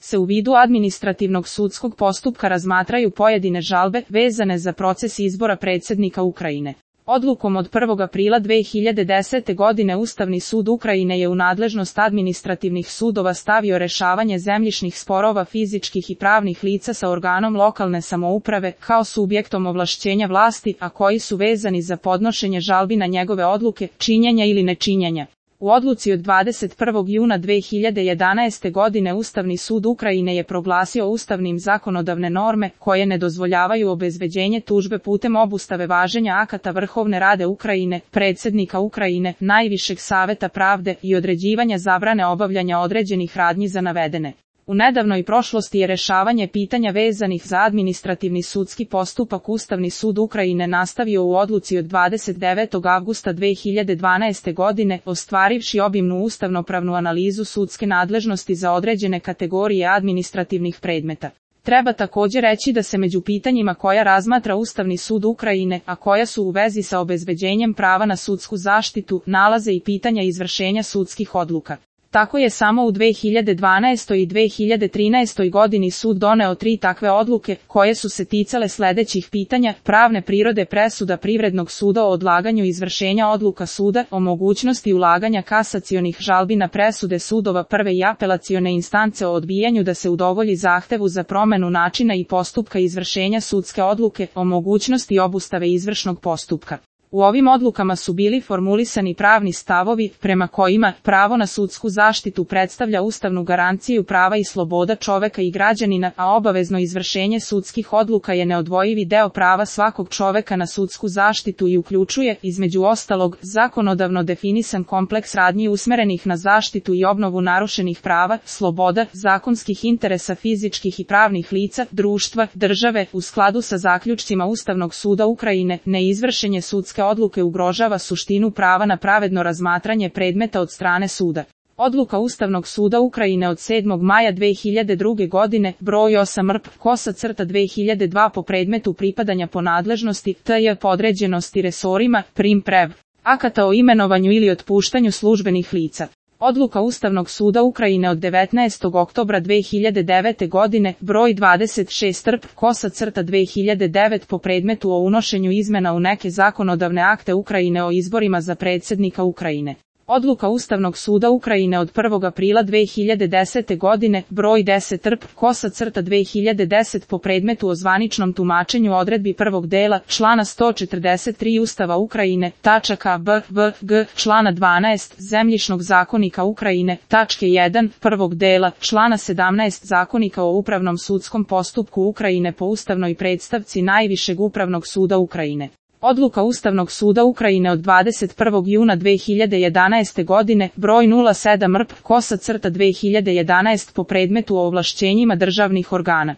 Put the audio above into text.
se u vidu administrativnog sudskog postupka razmatraju pojedine žalbe vezane za proces izbora predsjednika Ukrajine. Odlukom od 1. aprila 2010. godine Ustavni sud Ukrajine je u nadležnost administrativnih sudova stavio rešavanje zemljišnih sporova fizičkih i pravnih lica sa organom lokalne samouprave kao subjektom ovlašćenja vlasti, a koji su vezani za podnošenje žalbi na njegove odluke, činjenja ili nečinjenja. U odluci od 21. juna 2011. godine Ustavni sud Ukrajine je proglasio ustavnim zakonodavne norme koje ne dozvoljavaju obezbeđenje tužbe putem obustave važenja akata Vrhovne Rade Ukrajine, predsjednika Ukrajine, Najvišeg saveta pravde i određivanja zabrane obavljanja određenih radnji za navedene. U nedavnoj prošlosti je rešavanje pitanja vezanih za administrativni sudski postupak Ustavni sud Ukrajine nastavio u odluci od 29. avgusta 2012. godine, ostvarivši obimnu ustavnopravnu analizu sudske nadležnosti za određene kategorije administrativnih predmeta. Treba također reći da se među pitanjima koja razmatra Ustavni sud Ukrajine, a koja su u vezi sa obezbeđenjem prava na sudsku zaštitu, nalaze i pitanja izvršenja sudskih odluka. Tako je samo u 2012. i 2013. godini sud doneo 3 takve odluke, koje su se ticale sljedećih pitanja: pravne prirode presuda Privrednog suda o odlaganju izvršenja odluka suda, o mogućnosti ulaganja kasacionih žalbi na presude sudova prve i apelacione instance o odbijanju da se udovolji zahtevu za promjenu načina i postupka izvršenja sudske odluke, o mogućnosti obustave izvršnog postupka. U ovim odlukama su bili formulisani pravni stavovi, prema kojima pravo na sudsku zaštitu predstavlja ustavnu garanciju prava i sloboda čoveka i građanina, a obavezno izvršenje sudskih odluka je neodvojivi deo prava svakog čoveka na sudsku zaštitu i uključuje, između ostalog, zakonodavno definisan kompleks radnji usmerenih na zaštitu i obnovu narušenih prava, sloboda, zakonskih interesa fizičkih i pravnih lica, društva, države, u skladu sa zaključcima Ustavnog suda Ukrajine. Neizvršenje sudske odluke ugrožava suštinu prava na pravedno razmatranje predmeta od strane suda. Odluka Ustavnog suda Ukrajine od 7. maja 2002. godine, broj 8-RP-2002 po predmetu pripadanja po nadležnosti, tj. podređenosti resorima, prim-prev, akata o imenovanju ili otpuštanju službenih lica. Odluka Ustavnog suda Ukrajine od 19. oktobra 2009. godine, broj 26-RP-2009 po predmetu o unošenju izmjena u neke zakonodavne akte Ukrajine o izborima za predsjednika Ukrajine. Odluka Ustavnog suda Ukrajine od 1. aprila 2010. godine, broj 10-RP-2010 po predmetu o zvaničnom tumačenju odredbi prvog dela, člana 143 Ustava Ukrajine, tačaka b, v, g, člana 12 Zemljišnog zakonika Ukrajine, tačke 1, prvog dela, člana 17 Zakonika o upravnom sudskom postupku Ukrajine po ustavnoj predstavci Najvišeg upravnog suda Ukrajine. Odluka Ustavnog suda Ukrajine od 21. juna 2011. godine, broj 07-RP-2011 po predmetu o ovlašćenjima državnih organa.